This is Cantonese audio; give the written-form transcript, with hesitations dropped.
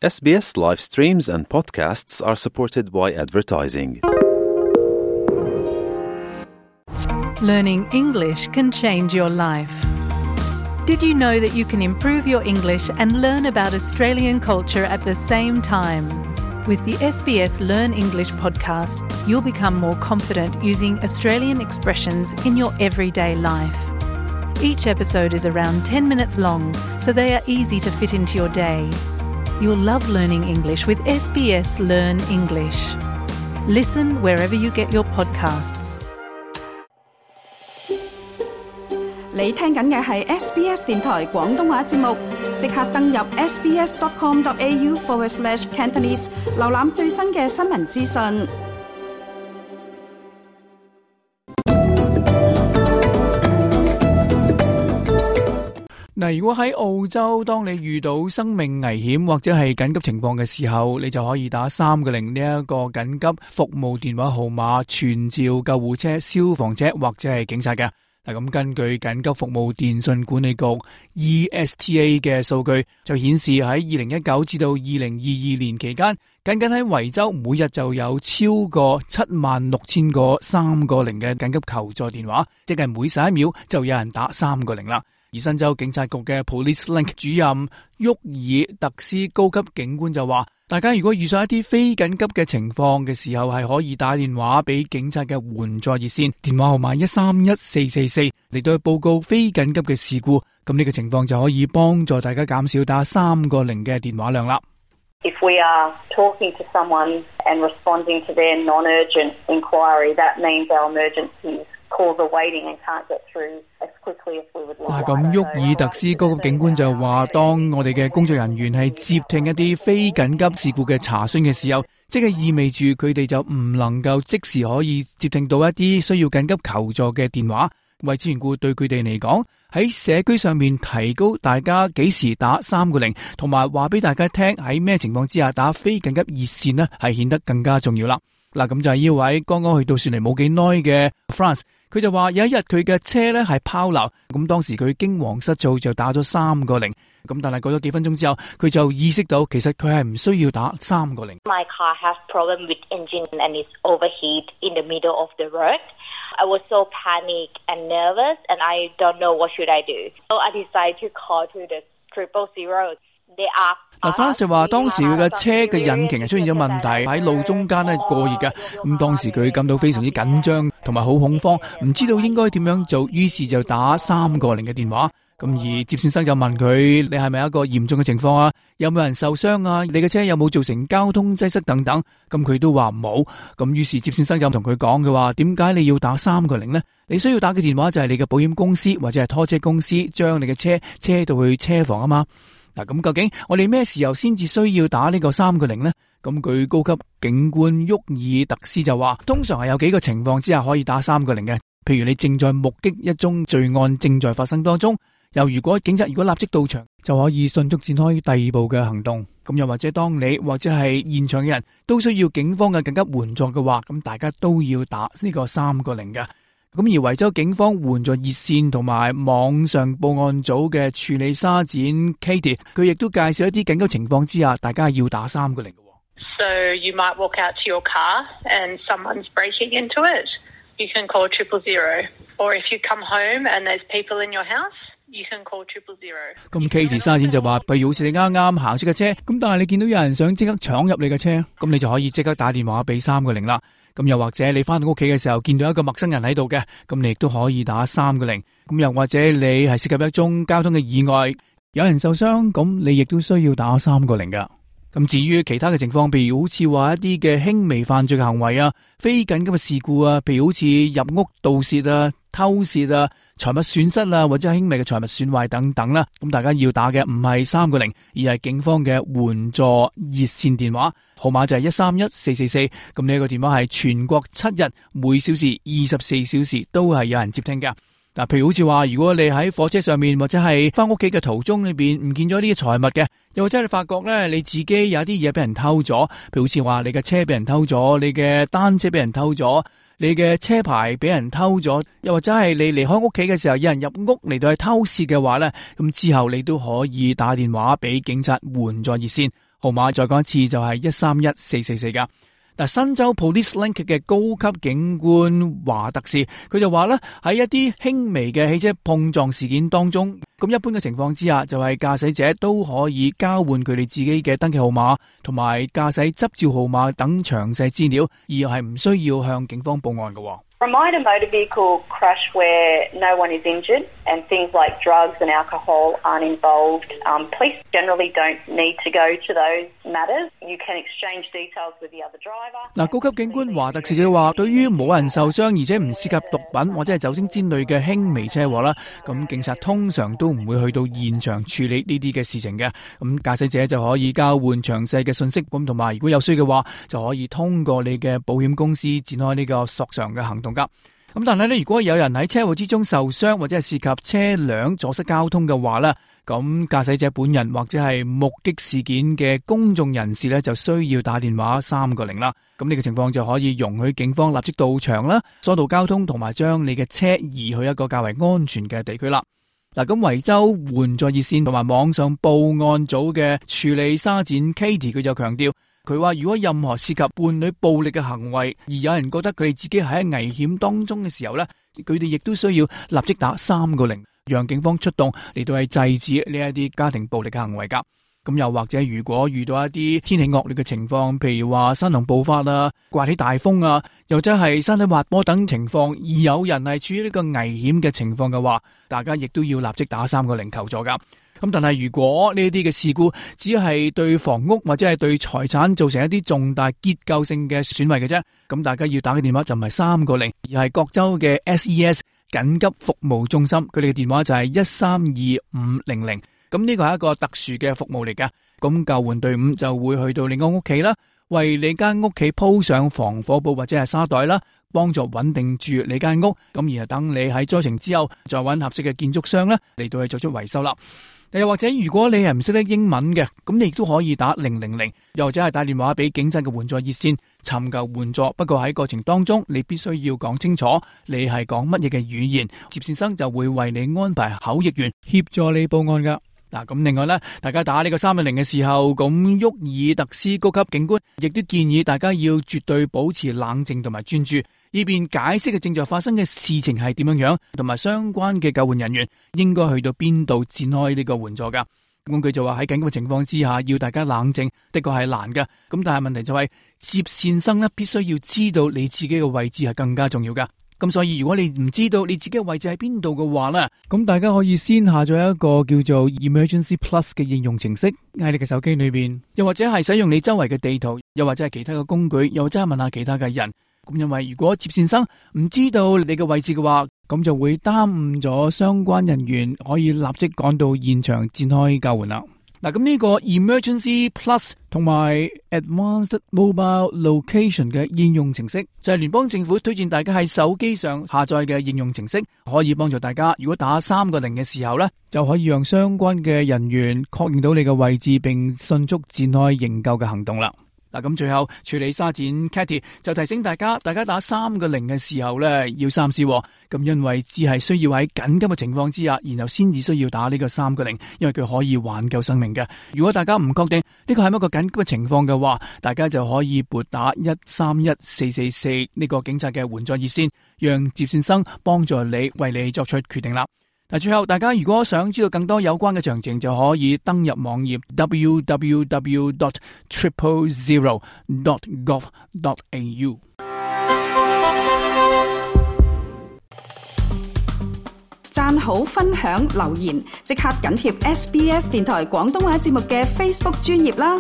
SBS live streams and podcasts are supported by advertising. Learning English can change your life. Did you know that you can improve your English and learn about Australian culture at the same time? With the SBS Learn English podcast, you'll become more confident using Australian expressions in your everyday life. Each episode is around 10 minutes long, so they are easy to fit into your day. You'll love learning English with SBS Learn English. Listen wherever you get your podcasts. 你聽緊嘅係 SBS 電台廣東話節目，即刻登入 sbs.com.au/Cantonese 瀏覽最新嘅新聞資訊。嗱，如果喺澳洲，當你遇到生命危險或者係緊急情況嘅時候，你就可以打310呢一個緊急服務電話號碼，傳召救護車、消防車或者係警察嘅。嗱，咁根據緊急服務電訊管理局 ESTA 嘅數據，就顯示喺2019至到2022年期間，僅喺維州每日就有超過76,000個310嘅緊急求助電話，即係每11秒就有人打310啦。而新州警察局嘅 Police Link 主任沃爾特斯高級警官就話，大家如果遇上一啲非緊急嘅情況嘅時候，係可以打電話俾警察嘅援助熱線，電話號碼131444嚟到去報告非緊急嘅事故。咁呢個情況就可以幫助大家減少打310嘅電話量啦。If we are talking to someone and responding to their non-urgent inquiry, that means our emergency calls are waiting and can't get through as quickly as we would like. 咁沃爾特斯高級警官就話，當我哋嘅工作人員係接聽一啲非緊急事故嘅查詢嘅時候，即係意味住佢哋就唔能夠即時可以接聽到一啲需要緊急求助嘅電話。為此緣故，對佢哋嚟講，喺社區上面提高大家幾時打310，同埋話俾大家聽喺咩情況之下打非緊急熱線呢，係顯得更加重要啦。嗱，咁就係呢位剛剛去到雪梨冇幾耐嘅 France， 佢就話有一日佢嘅車咧係拋錨，咁當時佢驚惶失措就打咗310，咁但係過咗幾分鐘之後，佢就意識到其實佢係唔需要打310。My car has problem with engine and it's overheat in the middle of the road. I was so panicked and nervous and I don't know what should I do. So I decided to call to the 000. France 話當時佢嘅車嘅引擎係出現咗問題，喺路中間咧過熱嘅，咁當時佢感到非常之緊張同埋好恐慌，唔知道應該點樣做，於是就打310嘅電話。咁而接線生就問佢：你係咪一個嚴重嘅情況啊？有冇人受傷啊？你嘅車有冇造成交通擠塞等等？咁佢都話冇。咁於是接線生就同佢講，佢話點解你要打310呢？你需要打嘅電話就係你嘅保險公司或者係拖車公司將你嘅車到去車房啊嘛。嗱，咁究竟我哋咩時候先至需要打呢個310呢？咁佢高級警官沃爾特斯就話，通常係有幾個情況之下可以打310嘅。譬如你正在目擊一宗罪案正在發生當中，又如果警察如果立即到場，就可以迅速展開第二步嘅行動。咁又或者當你或者係現場嘅人都需要警方嘅緊急援助嘅話，咁大家都要打呢個310嘅。咁而維州警方援助熱線同埋網上報案組嘅處理沙展 Katie， 佢亦都介紹一啲緊急情況之下，大家要打310嘅。So you might walk out to your car and someone's breaking into it. You can call 000. Or if you come home and there's people in your house, you can call 000. 咁 Katie 沙展就話，譬如好似你啱啱行出嘅車，咁但係你見到有人想即刻闖入你嘅車，咁你就可以即刻打電話俾310啦。咁又或者你翻到屋企嘅時候見到一個陌生人喺度嘅，咁你亦都可以打310。咁又或者你係涉及一宗交通嘅意外，有人受傷，咁你亦都需要打310噶。咁至於其他嘅情況，譬如好似話一啲嘅輕微犯罪嘅行為啊、非緊急嘅事故啊，譬如好似入屋盜竊啊、偷竊啊、財物損失啊，或者輕微嘅財物損壞等等啦。咁大家要打嘅唔係310，而係警方嘅援助熱線電話，號碼就係131444。咁呢個電話係全國7日每小時24小時都係有人接聽嘅。嗱，譬如好似話，如果你喺火車上面或者係翻屋企嘅途中裏邊唔見咗呢啲財物嘅，又或者你發覺咧你自己有啲嘢俾人偷咗，譬如好似話你嘅車俾人偷咗，你嘅單車俾人偷咗，你嘅車牌俾人偷咗，又或者係你離開屋企嘅時候有人入屋嚟到去偷竊嘅話咧，咁之後你都可以打電話俾警察援助熱線，號碼再講一次就係131444噶。嗱，新州 Police Link 嘅高級警官華特士，佢就話咧，喺一啲輕微嘅汽車碰撞事件當中，咁一般嘅情況之下，就係駕駛者都可以交換佢哋自己嘅登記號碼同埋駕駛執照號碼等詳細資料，而係唔需要向警方報案嘅。Remind a motor vehicle crash where no one is injured and things like drugs and alcohol aren't involved. Police generally don't need to go to those matters. You can exchange details with the other driver. 嗱，高級警官華特士嘅話，對於冇人受傷而且唔涉及毒品或者係酒精之類嘅輕微車禍啦，咁警察通常都唔會去到現場處理呢啲嘅事情嘅。咁駕駛者就可以交換詳細嘅信息，咁同埋如果有需要嘅話，就可以通過你嘅保險公司展開呢個索償嘅行動。咁但係咧，如果有人喺車禍之中受傷或者係涉及車輛阻塞交通嘅話咧，咁駕駛者本人或者係目擊事件嘅公眾人士咧，就需要打電話310啦。咁呢個情況就可以容許警方立即到場啦，疏導交通同埋將你嘅車移去一個較為安全嘅地區啦。嗱，咁維州援助熱線同埋網上報案組嘅處理沙展 Katie 佢就強調。佢話如果任何涉及伴侶暴力嘅行為，而有人覺得佢哋自己喺危險當中嘅時候呢，佢哋亦都需要立即打310，讓警方出動嚟到係制止呢一啲家庭暴力嘅行為噶。咁又或者如果遇到一啲天氣惡劣嘅情況，譬如話山洪暴發啊、颳起大風啊，又或者係山體滑坡等情況，而有人係處於呢個危險嘅情況嘅話，大家亦都要立即打310求助噶。咁但係如果呢啲嘅事故只係對房屋或者係對財產造成一啲重大結構性嘅損毀嘅啫，咁大家要打嘅電話就唔係310，而係各州嘅 SES 緊急服務中心，佢哋嘅電話就係132500。咁呢個係一個特殊嘅服務嚟㗎。咁救援隊伍就會去到你個屋企啦，為你間屋企鋪上防火布或者係沙袋啦，幫助穩定住你間屋。咁然後等你喺災情之後，再揾合適嘅建築商啦嚟到去做出維修啦。又或者如果你係唔識得英文嘅，咁你亦都可以打000，又或者係打電話俾警察嘅援助熱線尋求援助。不過喺過程當中，你必須要講清楚你係講乜嘢嘅語言，接線生就會為你安排口譯員協助你報案噶。嗱，咁另外咧，大家打呢個310嘅時候，咁沃爾特斯高級警官亦都建議大家要絕對保持冷靜同埋專注，以便解釋嘅正在發生嘅事情係點樣，同埋相關嘅救援人員應該去到邊度展開呢個援助噶。咁佢就話喺緊急嘅情況之下，要大家冷靜，的確係難噶。咁但係問題就係接線生咧，必須要知道你自己嘅位置係更加重要噶。咁所以如果你唔知道你自己嘅位置喺邊度嘅話咧，咁大家可以先下載一個叫做 Emergency Plus 嘅應用程式喺你嘅手機裏邊，又或者係使用你周圍嘅地圖，又或者係其他嘅工具，又或者係問下其他嘅人。咁因為如果接線生唔知道你嘅位置嘅話，咁就會耽誤咗相關人員可以立即趕到現場展開救援啦。嗱，咁呢個 Emergency Plus 同埋 Advanced Mobile Location 嘅應用程式，就係聯邦政府推薦大家喺手機上下載嘅應用程式，可以幫助大家如果打310嘅時候呢，就可以讓相關嘅人員確認到你嘅位置，並迅速展開營救嘅行動啦。嗱，咁最後處理沙展 Katie 就提醒大家打310嘅時候咧，要三思。咁因為只係需要喺緊急嘅情況之下，然後先至需要打呢個310，因為佢可以挽救生命嘅。如果大家唔確定呢個係一個緊急嘅情況嘅話，大家就可以撥打131444呢個警察嘅援助熱線，讓接線生幫助你，為你作出決定啦。嗱，最後大家如果想知道更多有關嘅詳情，就可以登入網頁 www.000.gov.au。讚好、分享、留言，即刻緊貼SBS 電台廣東話節目嘅 Facebook 專頁啦！